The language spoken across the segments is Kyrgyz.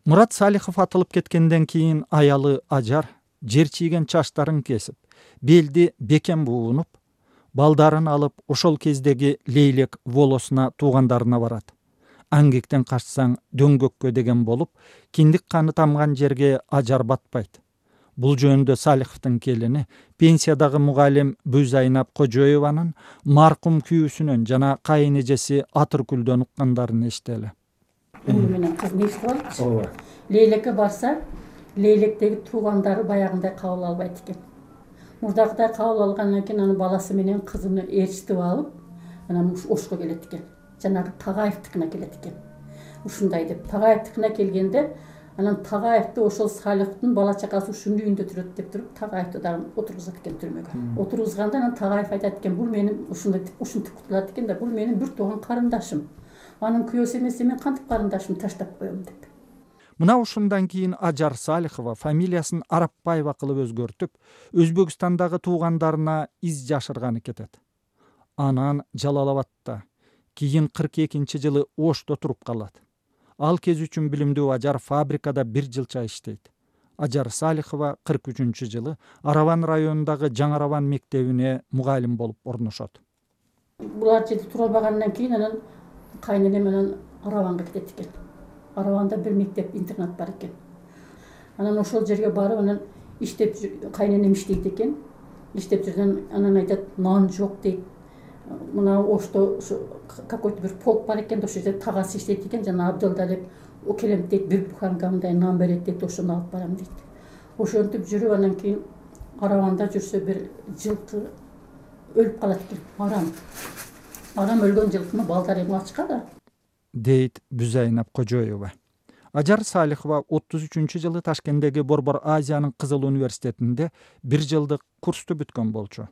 Мурат Салихов атылып кеткенден кийин аялы Ажар жер чийген чачтарын кесип, белди бекем буунуп, балдарын алып ошол кездеги Лейлек волосуна туугандарына барат. Аңгектен качсаң дөңгөккө деген болуп, киндик каны тамган жерге Ажар батпайт. Бул жөнүндө Салиховдун келини, пенсиядагы мугалим Бүйзайнап Кожоеванын маркум күйүүсүнөн жана кайын эжеси Атыркүлдөн уккандарын эстели. Уну менен кыз не иштеп алат? Лейлекке барса, Лейлектеги туугандары баягындай кабыл албайт экен. Мурдагыдай кабыл алгандан кийин анын баласы менен кызыны ээрчитип алып, анан Ошко келет экен. Жанагы Тагаевдикине келет экен. Ушундай деп Тагаевдикине келгенде, анан Тагаевди ошол Салиховдун бала чакасы ушунун үйүндө турат деп туруп, Тагаевди дагы отургузат экен түрмөгө. Отургузганда анан Тагаев айтат экен, бул менин ушинтип кутулат экен да, бул менин бир тууган карындашым. Анын күйөөсү эмес, мен кантип карындашымды таштап коем деп. Мына ушундан кийин Ажар Салихова фамилиясын Арапбаева кылып өзгөртүп, Өзбекстандагы туугандарына из жашырганы кетет. Анан Жалалабадта, кийин 42-жылы Ошто туруп калат. Ал кез үчүн билимдүү Ажар фабрикада 1 жылча иштейт. Ажар Салихова 43-жылы Араван районундагы Жаңы Араван мектебине мугалим болуп орношот. Булар жерде тура албагандан кийин анан кайненем менен Араванга кетет экен. Араванда бир мектеп интернат бар экен. Анан ошол жерге барып, анан иштеп кайненем иштейт экен. Иштеп жүргөн анан айтат, нан жок дейт. Мына Ошто какой-то бир полк бар экен, ошол жерде тагасы иштейт экен, жана Абдылда деп келем дейт, бир буханка мындай нан берет дейт, ошону алып барам дейт. Ошентип жүрүп анан кийин Араванда жүрсө бир жылкы өлүп калат экен. Арам өлгөн жылкыны балдары эң ачкада, дейт Бүйзайнап Кожоева. Ажар Салихова 33-жылы Ташкенттеги Борбор Азиянын Кызыл университетинде 1 жылдык курсту бүткөн болчу.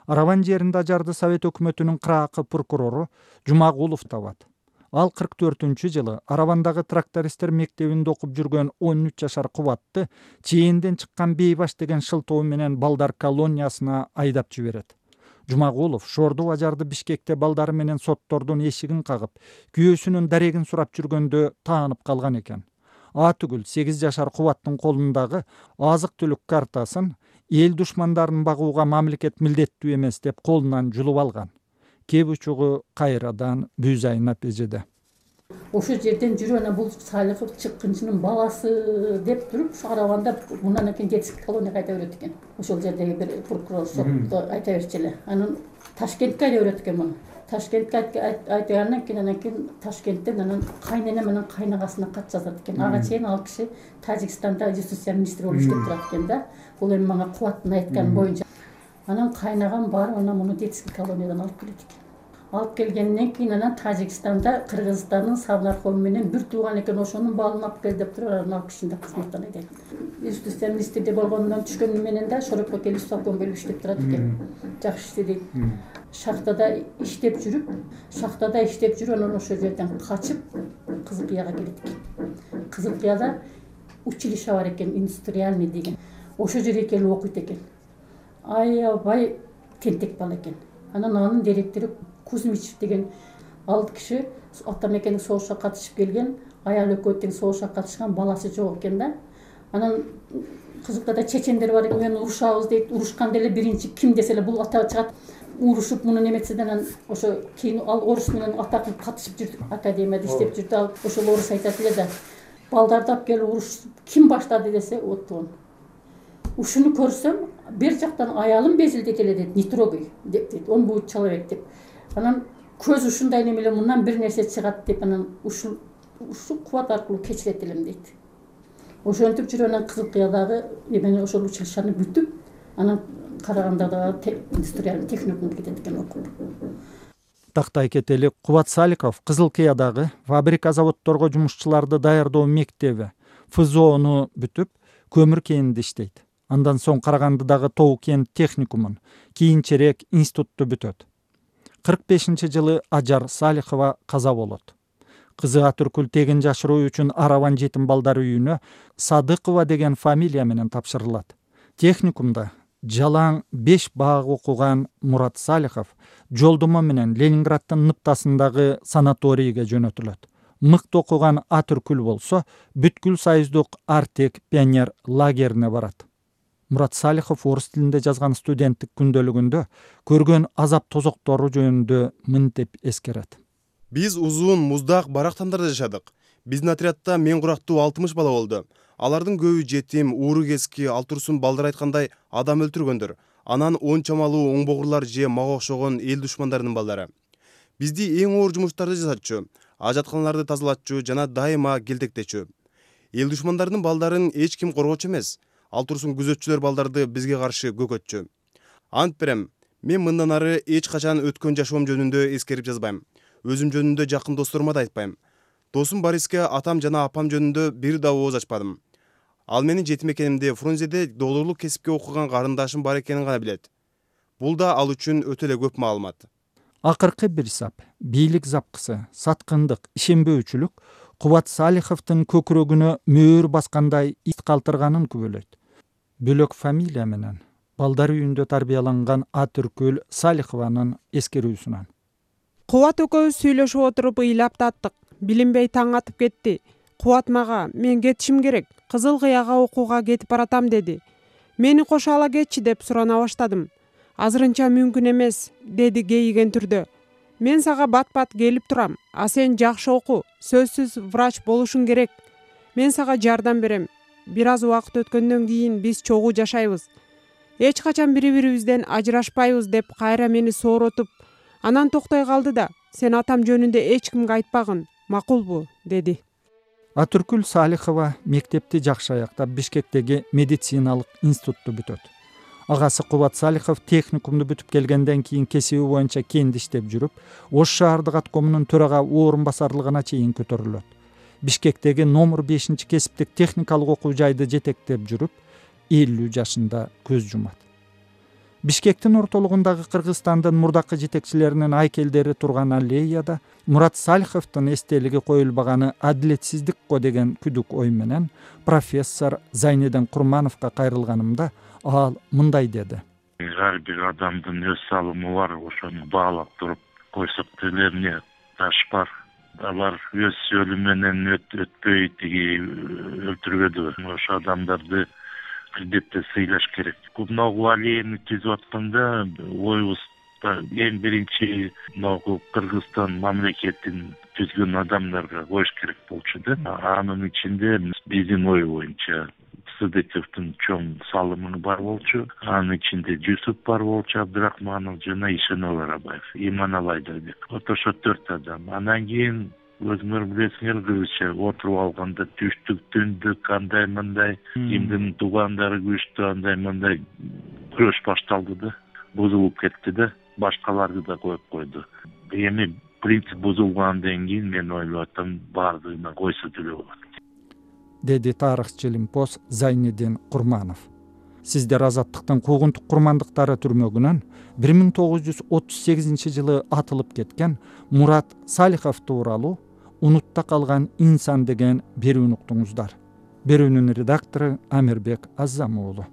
Араван жеринде Ажарды Совет өкмөтүнүн кыраакы прокурору Жумагулов табат. Ал 44-жылы Аравандагы трактористтер мектебинде окуп жүргөн 13 жашар Кубатты чейинден чыккан Бейбаш деген шылтоо менен балдар колониясына айдап жиберет. Жумагулов шорду Ажарды Бишкекте балдары менен соттордун эшигин кагып, күйөөсүнүн дарегин сурап жүргөндө таанып калган экен. Атүгүл 8 жашар Кубаттын колундагы азык-түлүк картасын эл душмандарын багууга мамлекет милдеттүү эмес деп колунан жулуп алган. Кеп учугу кайрадан Бүйзайнап эжеде. Ошол жерден жүрүп анан бул Салихов чыккынчынын баласы деп туруп, Араванда мындан кийин детский колонияга айта берет экен. Ошол жердеги бир прокурор сотто айта берчү эле. Анан Ташкентке айта берет экен муну. Ташкентке айтгандан кийин Ташкенттен анан кайненем менен кайнагасына кат жазат экен. Ага чейин ал киши Тажикстанда юстиция министри болуп иштеп турат экен да. Бул эми мага Кубаттын айтканы боюнча. Анан кайнагам барып анан муну детский колониядан алып келет экен. Алып келгенден кийин анан Тажикстанда Кыргызстандын Савнархом менен бир тууган экен, ошонун балын алып кел деп туруп, анан алып кишини кызматтан айдайт. Юстиция министрде болгондон түшкөнү менен да Шорокко келип совком келип иштеп турат экен. Жакшы иштейт. Шахтада иштеп жүрүп, анан ошол жерден качып Кызылкыяга келет экен. Кызылкыяда училище бар экен, индустриальный деген. Ошол жерге келип окуйт экен. Аябай тентек бала экен. Анан анын директору Кузьмичев деген ал киши ата мекендик согушка катышып келген, аял экөө тең согушка катышкан, баласы жок экен да. Анан Кызылкыяда чечендер бар экен, мен урушабыз дейт. Урушканда эле биринчи ким десе эле бул ата чыгат. Урушуп муну неметседен анан ошо кийин ал орус менен ата кылып катышып жүрдү, академияда иштеп жүрдү. Ал ошол орус айтат эле да, балдарды алып келип урушуп ким баштады десе, оттон. Ушуну көрсөм, бир жактан аялым безилдейт эле дейт, не трогай дейт, он будет человек деп. Анан көз ушундай немеле мындан бир нерсе чыгат деп, анан ушу кубат аркылуу кечирет элем дейт. Ошентип жүрүп анан Кызылкыядагы эмени ошол училищени бүтүп, анан Карагандадагы индустриальный техникумга кетет экен окуп. Тактай кетели, Кубат Салихов Кызылкыядагы фабрика заводдорго жумушчуларды даярдоо мектеби ФЗОну бүтүп, көмүр кенинде иштейт. Андан соң Карагандыдагы Тоо кен техникумун, кийинчерээк институтту бүтөт. 45-жылы Ажар Салихова каза болот. Кызы Атыркүл тегин жашыруу үчүн Араван жетим балдар үйүнө Садыкова деген фамилия менен тапшырылат. Техникумда жалаң 5 баак окуган Мурат Салихов жолдомо менен Ленинграддын Ныптасындагы санаторийге жөнөтүлөт. мыкты окуган Атүркүл болсо бүткүл союздук Артек пионер лагерине барат. Мурат Салихов орус тилинде жазган студенттик күндөлүгүндө көргөн азап тозоктору жөнүндө мынтип эскерет. Биз узун муздак барактандарда жашадык. Биздин отрядда мен курактуу 60 бала болду. Алардын көбү жетим, ууру кески, ал турсун балдар айткандай адам өлтүргөндөр. Анан 10 чамалуу оңбогурлар же мага окшогон эл душмандарынын балдары. Бизди эң оор жумуштарды жасатчу, ажатканаларды тазалатчу жана дайыма келтектечү. Эл душмандарынын балдарын эч ким коргочу эмес. Ал турсун күзөтчүлөр балдарды бизге каршы көкөтчү. Ант берем, мен мындан ары эч качан өткөн жашоом жөнүндө эскерип жазбайм. Өзүм жөнүндө жакын досторума да айтпайм. Досум Бориске атам жана апам жөнүндө бир да ооз ачпадым. Ал менин жетим экенимди Фрунзеде докторлук кесипке окуган карындашым бар экенин гана билет. Бул да ал үчүн өтө эле көп маалымат. Акыркы бир сап, бийлик запкысы, саткындык, ишенбөөчүлүк Кубат Салиховдун көкүрөгүнө мөөр баскандай ит калтырганын күбөлөйт. Бөлөк фамилия менен балдар үйүндө тарбияланган Атүркүл Салихованын эскерүүсүнөн. Кубат экөөбүз сүйлөшүп отуруп ыйлап таттык. Билинбей таң атып кетти. Кубат мага: "Мен кетишим керек. Кызыл Кыяга окууга кетип баратам" деди. "Мени кошо ала кетчи" деп сурана баштадым. "Азырынча мүмкүн эмес" деди кейиген түрдө. "Мен сага бат-бат келип турам. А сен жакшы оку, сөзсүз врач болушуң керек. Мен сага жардам берем. Бир аз убакыт өткөндөн кийин биз чогуу жашайбыз. Эч качан бири-бирибизден ажырашпайбыз" деп кайра мени сооротуп, анан токтой калды да: "Сен атам жөнүндө эч кимге айтпагын, макулбу" деди. Атүркүл Салихова мектепти жакшы аяктап Бишкектеги медициналык институтту бүтөт. Агасы Кубат Салихов техникумду бүтүп келгенден кийин кесиби боюнча кенде иштеп жүрүп, Ош шаардык аткомунун төрага орун басарлыгына чейин көтөрүлөт. Бишкектеги номер 5 кесиптик техникалык окуу жайды жетектеп жүрүп, 50 жашында көз жумат. Бишкектин ортолугундагы Кыргызстандын мурдакы жетекчилеринин айкелдери турган аллеяда Мурат Салиховдун эстелиги коюлбаганы адилетсиздик го деген күдүк ой менен профессор Зайниден Курмановго кайрылганымда ал мындай деди. Ар бир адамдын өз салымы бар, ошону баалап туруп койсок делерне таш бар. Алар өз өлүм менен өтпөй тиги өлтүрбөдү. Ошо адамдарды албетте сыйлаш керек. Могу аллеяны түзүп атканда оюбузда эң биринчи могу Кыргызстан мамлекетин түзгөн адамдарга коюш керек болчу да. Анын ичинде биздин ой боюнча Сыдыковдун чоң салымы бар болчу. Анын ичинде Жусуп бар болчу, Абдрахманов жана Ишенов Арабаев, Иманалы Айдарбек. Ошо 4 адам. Анан кийин өзүңөр билесиңер, кыргызча отуруп алганда түштүк, түндүк, кандай мындай, кимдин туугандары күчтүү, андай мындай күрөш башталды да. Бузулуп кетти да, башкаларды да коюп койду. Эми принцип бузулгандан кийин мен ойлоп атам, баардыгына койсо деле болот, деди тарыхчы Лимпос Зайнидин Курманов. Сиздер Азаттыктын куугунтук курмандыктары түрмөгүнөн 1938 жылы атылып кеткен Мурат Салихов тууралуу "Унутта калган инсан" деген берүүнү уктуңуздар. Берүүнүн редактору Амирбек Аззам уулу.